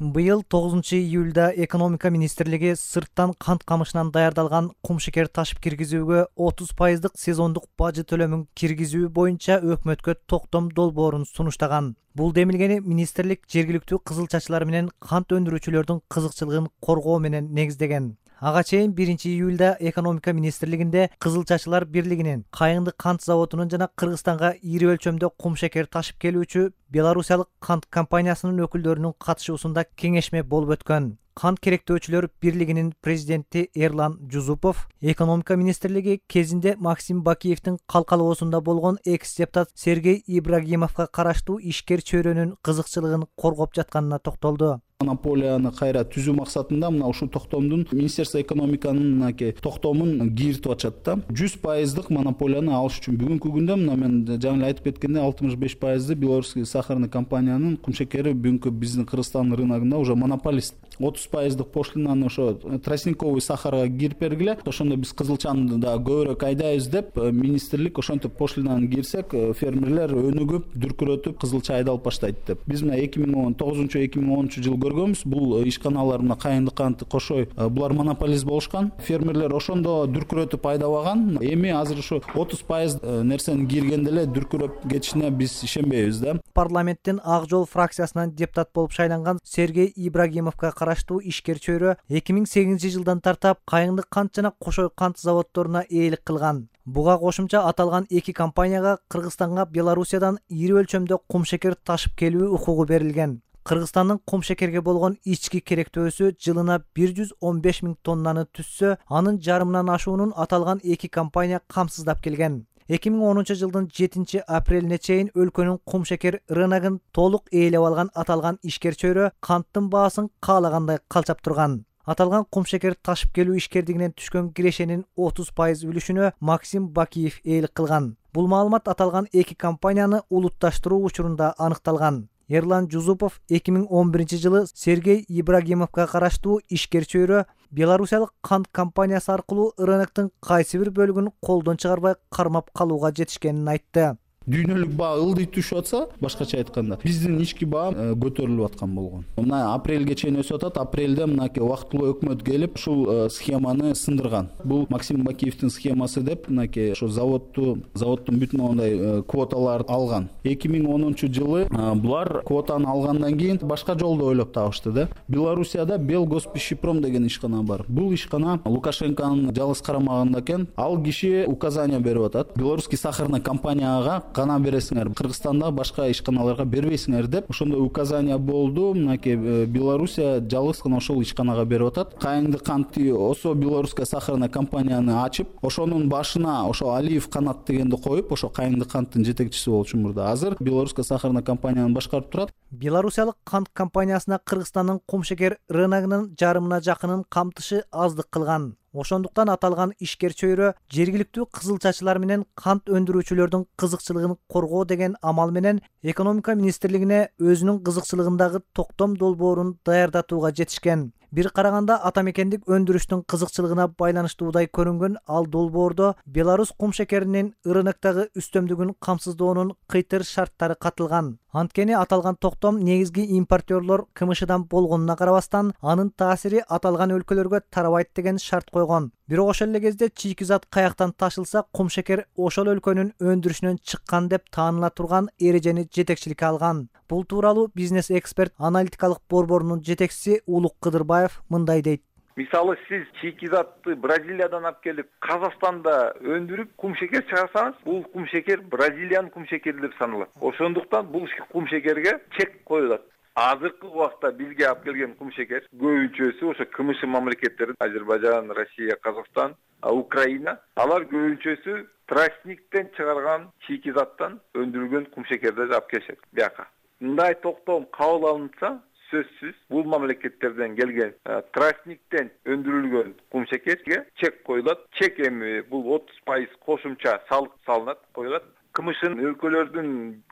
Быйыл 9-июлда экономика министрлиги сырттан кант камышынан даярдалган кумшекер ташып киргизүүгө 30% сезондук бажы төлөмүн киргизүү боюнча өкмөткө токтом долбоорун сунуштаган. Бул демилгени министрлик жергиликтүү кызылчачылар менен кант өндүрүүчүлөрдүн кызыкчылыгын коргоо менен негиздеген. Ага чейин 1-июлда экономика министрлигинде кызылчачылар бирлигинин Кайыңды кант заводунун жана Кыргызстанга ири өлчөмдө кумшекер ташып келүүчү Белорусиялык кант компаниясынын өкүлдөрүнүн катышуусунда кеңешме болуп өткөн. Кант керектөөчүлөр бирлигинин президенти Эрлан Жузупов экономика министрлиги кезинде Максим Бакиевдин калкалоосунда болгон экс-депутат Сергей Ибрагимовго караштуу ишкер чөйрөнүн кызыкчылыгын коргоп жатканына токтолду. Монополияны кайра түзүү максатында мына ушул токтомдун Министерство экономиканын токтомун киритип атышат да. 100% монополияны алыш үчүн бүгүнкү күндө мына мен жаңы эле айтып кеткендей 65% белорусский сахарный компаниянын кумшекери бүгүнкү биздин Кыргызстан рыногунда уже монополист. 30% пошлинаны ошо тростниковый сахарга кирип бергиле. Ошондо биз кызылчаны да көбүрөөк айдайбыз деп министрлик ошентип пошлинаны кирсек фермерлер өнүгүп, дүркүрөтүп кызылча айдалып баштайт деп. Биз мына 2009-2010 жыл көргөнбүз. Бул ишканалар мына Кайыңды канты кошой булар монополист болушкан. Фермерлер ошондо дүркүрөтүп айдабаган. Эми азыр ушу 30% нерсени киргенде эле дүркүрөп кетишине биз ишенбейбиз да. Парламенттин Ак жол фракциясынан депутат болуп шайланган Сергей Ибрагимовго караштуу ишкер чөйрө 2008 жылдан тартап Кайыңды кант жана Кошой кант заводдоруна ээлик кылган. Буга кошумча аталган эки компанияга Кыргызстанга Белорусиядан ири өлчөмдө кумшекер ташып келүү укугу берилген. Кыргызстандын кумшекерге болгон ички керектөөсү жылына 115 000 тоннаны түзсө, анын жарымынан ашуунун аталган эки компания камсыздап келген. 2010 жылдын 7 апрелине чейин өлкөнүн кумшекер рыногун толук ээлеп алган аталган ишкер чөйрө канттын баасын каалагандай калчап турган. Аталган кумшекер ташып келүү ишкердигинен түшкөн кирешенин 30% үлүшүнө Максим Бакиев ээлик кылган. Бул маалымат аталган эки компанияны улутташтыруу учурунда аныкталган. Эрлан Жузупов 2011 жылы Сергей Ибрагимовго караштуу ишкер чөйрө Белорусиялык кант компаниясы аркылуу рыноктун кайсы бир бөлүгүн колдон чыгарбай кармап калууга жетишкенин айтты. Дүйнөлүк баа ылдый түшүп атса, башкача айтканда, биздин ички баа көтөрүлүп аткан болгон. Мына апрелге чейин өсүп атат. Апрелде мынакей убактылуу өкмөт келип, ушул схеманы сындырган. Бул Максим Бакиевдин схемасы деп, мынакей ошо заводдун бүтүн ондай квоталарды алган. 2010 жылы булар квотаны алгандан кийин башка жолду ойлоп табышты да. Белоруссияда Белгоспищепром деген ишкана бар. Бул ишкана Лукашенконун жалгыз карамагында экен. Ал киши указания берип атат. Белорусский сахарный компанияга гана бересиңер, Кыргызстанда башка ишканаларга бербейсиңер деп. Ошондо указания болду. Мынакей Белоруссия жалгыз гана ошол ишканага берип атат. Кайыңды канты Осо белорусская сахарная компанияны ачып, ошонун башына ошо Алиев Канат дегенди коюп, ошо Кайыңды канттын жетекчиси болчу мурда. Азыр белорусская сахарная компанияны башкарып турат. Белорусиялык кант компаниясына Кыргызстандын кумшекер рыногунун жарымына жакынын камтышы аздык кылган. Ошондуктан аталган ишкер чөйрө жергиликтүү кызылчачылар менен кант өндүрүүчүлөрдүн кызыкчылыгын коргоо деген амал менен экономика министрлигине өзүнүн кызыкчылыгындагы токтом долбоорун даярдатууга жетишкен. Бир караганда атамекендик өндүрүштүн кызыкчылыгына байланыштуудай көрүнгөн ал долбоордо Белорус кумшекеринин рыноктогу үстөмдүгүн камсыздоонун кыйтыр шарттары катылган. Анткени аталган токтом негизги импортерлор КМШдан болгонуна карабастан, анын таасири аталган өлкөлөргө тарабайт деген шарт койгон. Бирок ошол эле кезде чийки зат каяктан ташылса, кумшекер ошол өлкөнүн өндүрүшүнөн чыккан деп тааныла турган эрежени жетекчиликке алган. Бул тууралуу бизнес эксперт аналитикалык борборунун жетекчиси Улук Кыдырбаев мындай дейт. Мисалы сиз чийки затты Бразилиядан алып келип, Казакстанда өндүрүп кумшекер чыгарсаңыз, бул кумшекер Бразилиянын кумшекери деп саналат. Ошондуктан бул кумшекерге чек коюлат. Азыркы убакта бизге алып келген кумшекер көбүнчөсү ошо КМШ мамлекеттери, Азербайжан, Россия, Казакстан, Украина, алар көбүнчөсү тростниктен чыгарган чийки заттан өндүрүлгөн кумшекерди алып келишет бияка. Мындай токтом кабыл алынса, сөзсүз бул мамлекеттерден келген тростниктен өндүрүлгөн кумшекерге чек коюлат. Чек эми бул 30% кошумча салык салынат, коюлат. КМШ өлкөлөрдүн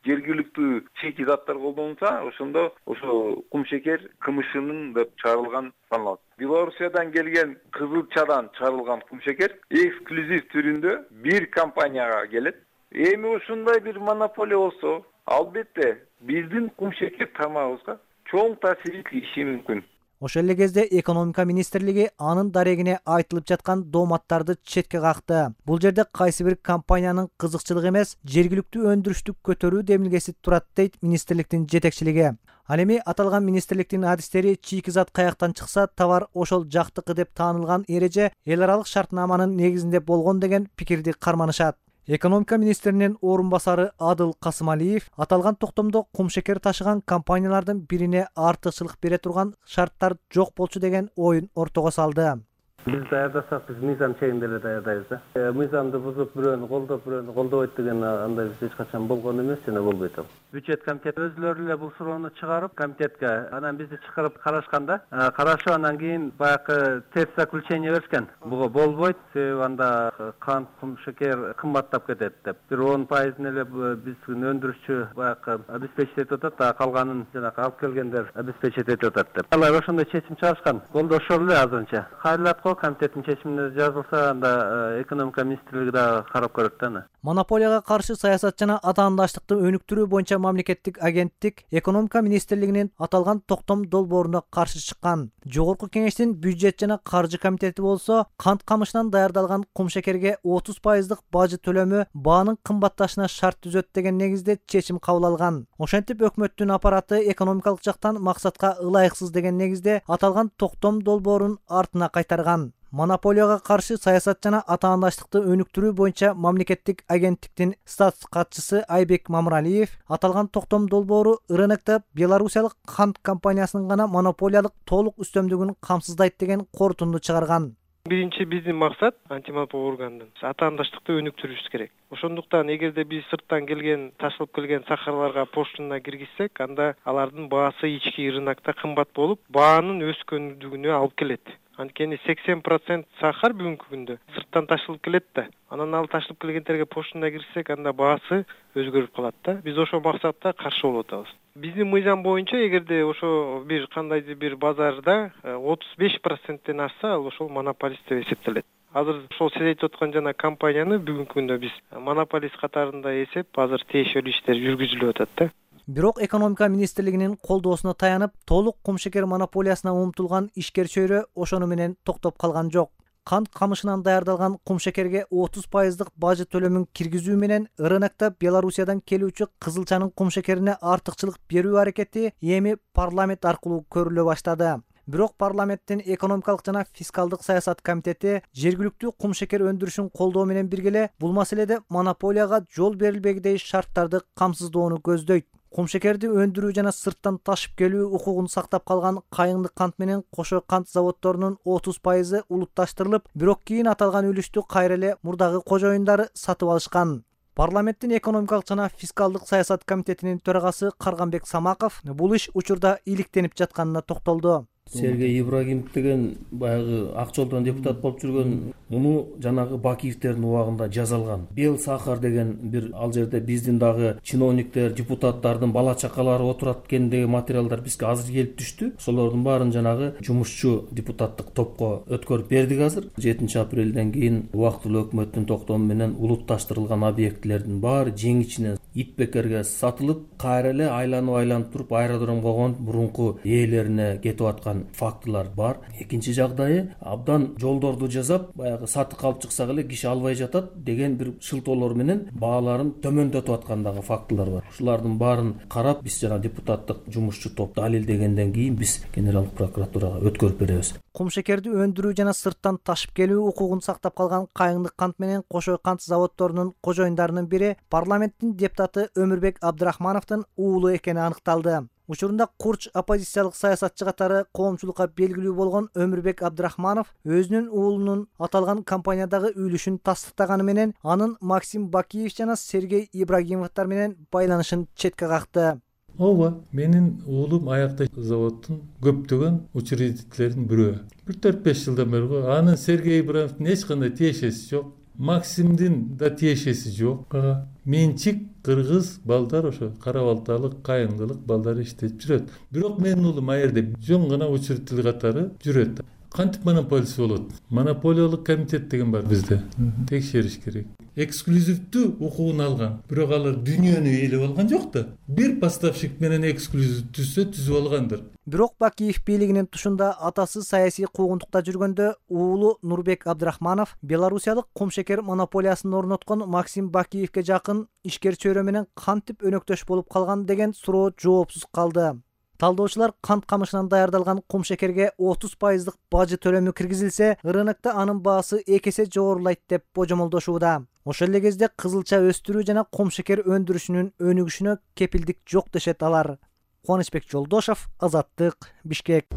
жергиликтүү чийки заттар колдонулса, ошондо ошо кумшекер КМШнын деп чыгарылган саналат. Белоруссиядан келген кызылчадан чыгарылган кумшекер эксклюзив түрүндө бир компанияга келет. Эми ушундай бир монополия болсо, албетте биздин кумшекер тармагыбызга чоң таасир тийиши мүмкүн. Ошол эле кезде экономика министрлиги анын дарегине айтылып жаткан дооматтарды четке какты. Бул жерде кайсы бир компаниянын кызыкчылыгы эмес, жергиликтүү өндүрүштү көтөрүү демилгеси турат дейт министрликтин жетекчилиги. Ал эми аталган министрликтин адистери чийки зат каяктан чыкса товар ошол жактыкы деп таанылган эреже эл аралык шартнаманын негизинде болгон деген пикирди карманышат. Экономика министринин орун басары Адыл Касымалиев аталган токтомдо кумшекер ташыган компаниялардын бирине артыкчылык бере турган шарттар жок болчу деген оюн ортого салды. Biz daярдасак, биз мыйзам чегинде эле даярдайбыз да. Мыйзамды бузуп, бирөөнү колдобойт деген андай биз эч качан болгон эмес жана болбойт ал. Бюджет комитети өзүлөрү эле бул суроону чыгарып, комитетке анан бизди чакырып карашканда, карашып анан кийин баягы терс заключение беришкен. Буга болбойт, себеби анда кант, кум шекер кымбаттап кетет деп. Бир 10% эле биздин өндүрүшчү баягы обеспечить этип атат, а калганын жанагы алып келгендер обеспечить этип атат деп. Алар ошондой чечим чыгарышкан. Колдошор эле азырынча. Кайрылат го комитеттин чечимине жазылса, анда экономика министрлиги да карап көрөт да. Монополияга каршы саясат жана атаандаштыкты өнүктүрүү боюнча мамлекеттик агенттик экономика министрлигинин аталган токтом долбооруна каршы чыккан. Жогорку кеңештин бюджет жана каржы комитети болсо кант камышынан даярдалган кумшекерге 30% бажы төлөмү баанын кымбатташына шарт түзөт деген негизде чечим кабыл алган. Ошентип өкмөттүн аппараты экономикалык жактан максатка ылайыксыз деген негизде аталган токтом долбоорун артына кайтарган. Монополияга каршы саясат жана атаандаштыкты өнүктүрүү боюнча мамлекеттик агенттиктин статс катчысы Айбек Мамыралиев аталган токтом долбоору рынокто белорусиялык кант компаниясынын гана монополиялык толук үстөмдүгүн камсыздайт деген корутунду чыгарган. Биринчи биздин максат антимонополия органдын атаандаштыкты өнүктүрүш керек. Ошондуктан эгерде биз сырттан келген, ташылып келген сахарларга поштуна киргизсек, анда алардын баасы ички рынокто кымбат болуп, баанын өскөндүгүнө алып келет. Анткени 80% сахар бүгүнкү күндө сырттан ташылып келет да. Анан ал ташылып келгендерге поштуна кирсек, анда баасы өзгөрүп калат да. Биз ошол максатта каршы болуп атабыз. Биздин мыйзам боюнча эгерде ошо бир кандайдыр бир базарда 35%тен ашса, ал ошол монополист деп эсептелет. Азыр ошол сиз айтып аткан жана компанияны бүгүнкү күндө биз монополист катарында эсеп, азыр тиешелүү иштер жүргүзүлүп атат да. Бирок экономика министрлигинин колдоосуна таянып, толук кумшекер монополиясына умтулган ишкер чөйрө ошону менен токтоп калган жок. Кант камышынан даярдалган кумшекерге 30% бажы төлөмүн киргизүү менен рынокто Белорусиядан келүүчү кызылчанын кумшекерине артыкчылык берүү аракети эми парламент аркылуу көрүлө баштады. Бирок парламенттин экономикалык жана фискалдык саясат комитети жергиликтүү кумшекер өндүрүшүн колдоо менен биргеле бул маселеде монополияга жол берилбегидей шарттарды камсыздоону көздөйт. Кумшекерди өндүрүү жана сырттан ташып келүү укугун сактап калган Кайыңды кант менен Кошой кант заводдорунун 30% улутташтырылып, бирок кийин аталган үлүштү кайра эле мурдагы кожоюндары сатып алышкан. Парламенттин экономикалык жана фискалдык саясат комитетинин төрагасы Карганбек Самаков бул иш учурда иликтенип жатканына токтолду. Сергей Ибрагимов деген баягы ак жолдон депутат болуп жүргөн, муну жанагы Бакиевтердин убагында жазалган. Бел сахар деген бир ал жерде биздин дагы чиновниктер, депутаттардын бала чакалары отурат экендеги материалдар бизге азыр келип түштү. Ошолордун баарын жанагы жумушчу депутаттык топко өткөрүп бердик азыр. 7 апрелден кийин убактылуу өкмөттүн токтому менен улутташтырылган объектлердин баары жеңичинен ит бекерге сатылып, кайра эле айланып туруп аэродромго конуп мурунку ээлерине кетип аткан фактылар бар. Экинчи жагдайы абдан жолдорду жасап, баягы сатып алып чыксак эле киши албай жатат деген бир шылтоолор менен бааларын төмөндөтүп аткандагы фактылар бар. Ушулардын баарын карап, биз жана депутаттык жумушчу топ далилдегенден кийин биз генералдык прокуратурага өткөрүп беребиз. Кумшекерди өндүрүү жана сырттан ташып келүү укугун сактап калган Кайыңды кант менен Кошой кант заводдорунун кожоюндарынын бири парламенттин депутаты Өмүрбек Абдрахмановдун уулу экени аныкталды. Учурунда Курч оппозициялык саясатчы катары коомчулукка белгилүү болгон Өмүрбек Абдрахманов өзүнүн уулунун аталган компаниядагы үлүшүн тастыктаганы менен анын Максим Бакиев жана Сергей Ибрагимовдор менен байланышын четке какты. Ооба, менин уулум аякта заводдун көптөгөн учредителеринин бирөө. 4-5 жылдан бери го. Анын Сергей Ибрагимовдун эч кандай тиешеси жок. Максимдин да тиешеси жок. Менчик кыргыз балдар ошо Кара-Балталык, Кайыңдылык балдар иштеп жүрөт. Бирок менин уулум аерде жөн гана учредитель катары жүрөт. кантип монополиясы болот? Монополиялык комитет деген бар бизде. Текшериш керек. Эксклюзивдүү укугун алган, бирок алар дүйнөнү ээлеп алган жок да. Бир поставщик менен эксклюзив түзүп алгандыр. Бирок Бакиев бийлигинин тушунда атасы саясий куугунтукта жүргөндө уулу Нурбек Абдрахманов белорусиялык кумшекер монополиясын орноткон Максим Бакиевке жакын ишкер чөйрө менен кантип өнөктөш болуп калган деген суроо жоопсуз калды. Талдоочулар кант камышынан даярдалган кумшекерге 30% бажы төлөмү киргизилсе, рынокто анын баасы 2 эсе жогорулайт деп божомолдошууда. Ошол эле кезде кызылча өстүрүү жана кумшекер өндүрүшүнүн өнүгүшүнө кепилдик жок дешет алар. Кубанычбек Жолдошов, Азаттык, Бишкек.